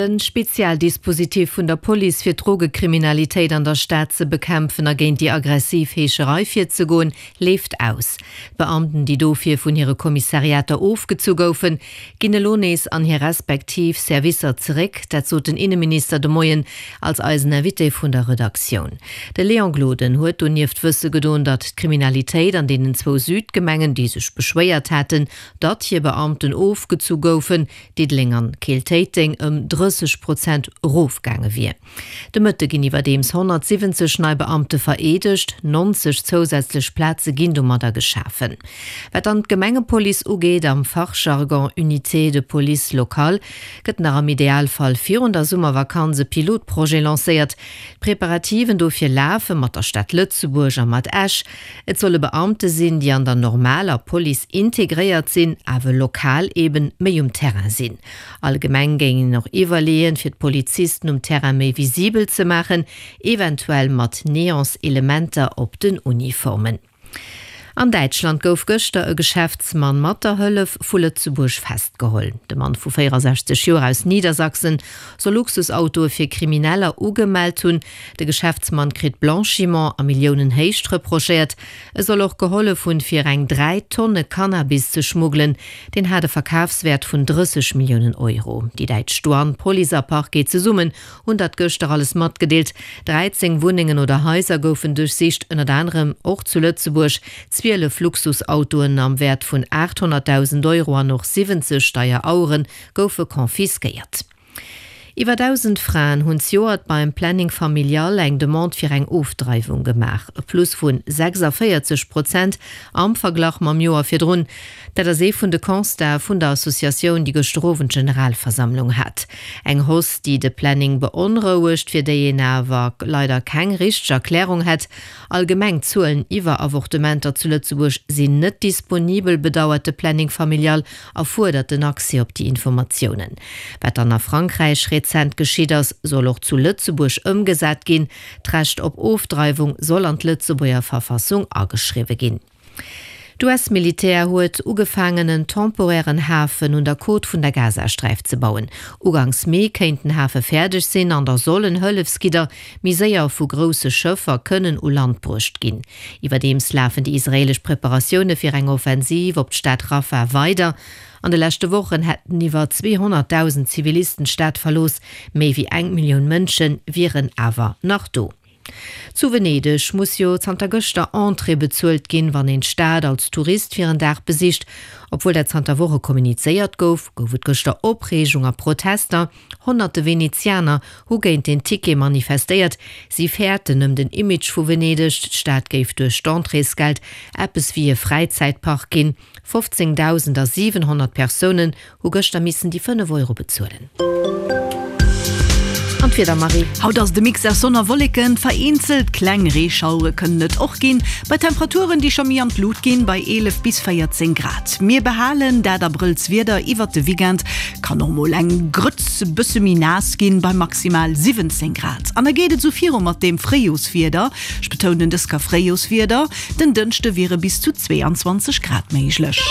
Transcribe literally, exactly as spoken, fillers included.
De Spezialdispositif vun der Police fir d'Drogekriminalitéit an der Stad ze bekämpfen a géint déi aggressiv Heescherei virzegoen, leeft aus. D'Beamten, déi dofir vun hire Kommissariater ofgezu goufen, ginn elo nees an hir respektiv Servicer zeréck. Dat sot den Inneminister de Moien als eisen Invité vun der Redaktioun. De Léon Gloden huet donieft wësse gedoen, datt d'Kriminalitéit an deenen zwou Südgemengen, déi sech beschwéiert haten, datt hir Beamten ofgezu goufen, Diddeleng an Keel-Téiteng, ëm drësseg Prozent erofgaange wier. De Mëtte ginn iwwerdeems honnertsiwwenzeg nei Beamte vereedegt, nonzeg zousätzlech Plaze ginn domadder geschafen. Wat dann d'Gemengepolice ugeet, am Fachjargon Unité de police locale, gëtt nach am Idealfall virun der Summervakanz e Pilotprojet lancéiert. D'Preparativen dofir lafe mat der Stad Lëtzebuerg a mat Esch. Et solle Beamte sinn, déi an der normaler Police integréiert sinn, awer lokal eben méi um Terrain sinn. Allgemeng géing een och iwwerleeën, fir d'Polizisten um Terrain méi visibel ze maachen, eventuell mat Neonselementer op den Uniformen. An Däitschland gouf gëschter e Geschäftsmann mat der Hëllef vu Lëtzebuerg festgeholl. De Mann vu véierasechzeg Joer aus Niedersachsen soll Luxusautoe fir Krimineller ugemellt hunn. De Geschäftsmann kritt Blanchiment a Milliounenhéicht reprochéiert. E soll och gehollef hunn, fir eng dräi Tonne Cannabis ze schmuggelen. Deen hat e Verkafswäert vun drësseg Milliounen Euro. Déi däitsch Douane, Police a Parquet zesummen hunn dat gëschter alles matgedeelt. dräizéng Wunnengen oder Haiser goufen duerchsicht, ënnert anerem och zu Lëtzebuerg. Zwielef Luxusautoen am Wäert vun aathonnertdausend Euro an och siwwenzeg deier Auere goufe confisquéiert. Iwwer dausend Fraen hunn zejoert beim Planning Familial eng Demande fir eng Ofdreiwung gemaach, e Plus vu sechsavéierzeg Prozent am Verglach mam Joer virdrun. Dat ass ee vun de Constate vun der Associatioun, déi gëschter Owend Generalversammlung hat. Eng Hausse, déi de Planning beonrouegt, fir déi een awer leider keng richteg Erklärung hätt. Allgemeng Zuelen iwwer Avortementer zu Lëtzebuerg sinn net disponibel, bedauert de Planning Familial a fuerdert den Accès op déi Informatiounen. Wat dann a Frankräich rezent geschitt ass, soll och zu Lëtzebuerg ëmgesat ginn. D'Recht op Ofdreiwung soll an d'Lëtzebuerger Verfassung ageschriwwe ginn. D'U S-Militär huet ugefaangen en temporären Hafen un der Côte vun der Gazasträif ze bauen. Uganks Mee kéint den Hafe fäerdeg sinn an da sollen Hëllefsgidder méi séier vu grousse Schëffer kënnen u Land bruecht ginn. Iwwerdeems lafen déi israeelesch Preparatioune fir eng Offensiv op d'Stad Rafah weider. An de leschte Wochen hätten iwwer zweehonnertdausend Zivilisten d'Stad verlooss, méi wéi eng Millioun Mënsche wieren awer nach do. Zu Venedeg muss jo zanter gëschter Entrée bezuelt ginn, wann een d'Stad als Tourist fir en Dag besicht. Obwuel dat zanter Woche kommunizéiert gouf, gouf et gëschter Opreegung a Protester. Honnerte Venezianer hu géint den Ticket manifestéiert. Si fäerten ëm den Image vu Venedeg, d'Stad géif duerch d'Entréesgeld eppes wéi e Fräizäitpark ginn. fofzéngdausend a siwenhonnert Persounen hu gëschter missen déi fënnef Euro bezuelen. An d'Wieder, Marie? Haut ass et e Mix aus Sonn a Wolleken, vereenzelt kleng Reeschauere kënnen et och ginn, bei Temperaturen, déi scho méi an d'Lut ginn, bei eelef bis véierzéng Grad. Mir behalen dat Abrëllswieder iwwert de Weekend, kann och mol eng Grëtz bësse méi naass ginn, bei maximal siwwenzéng Grad. An da geet et sou viru mat deem Fréijorswieder, ech betounen dës Kéier Fréijorswieder, den Dënschde wiere bis zu zweeanzwanzeg Grad méiglech.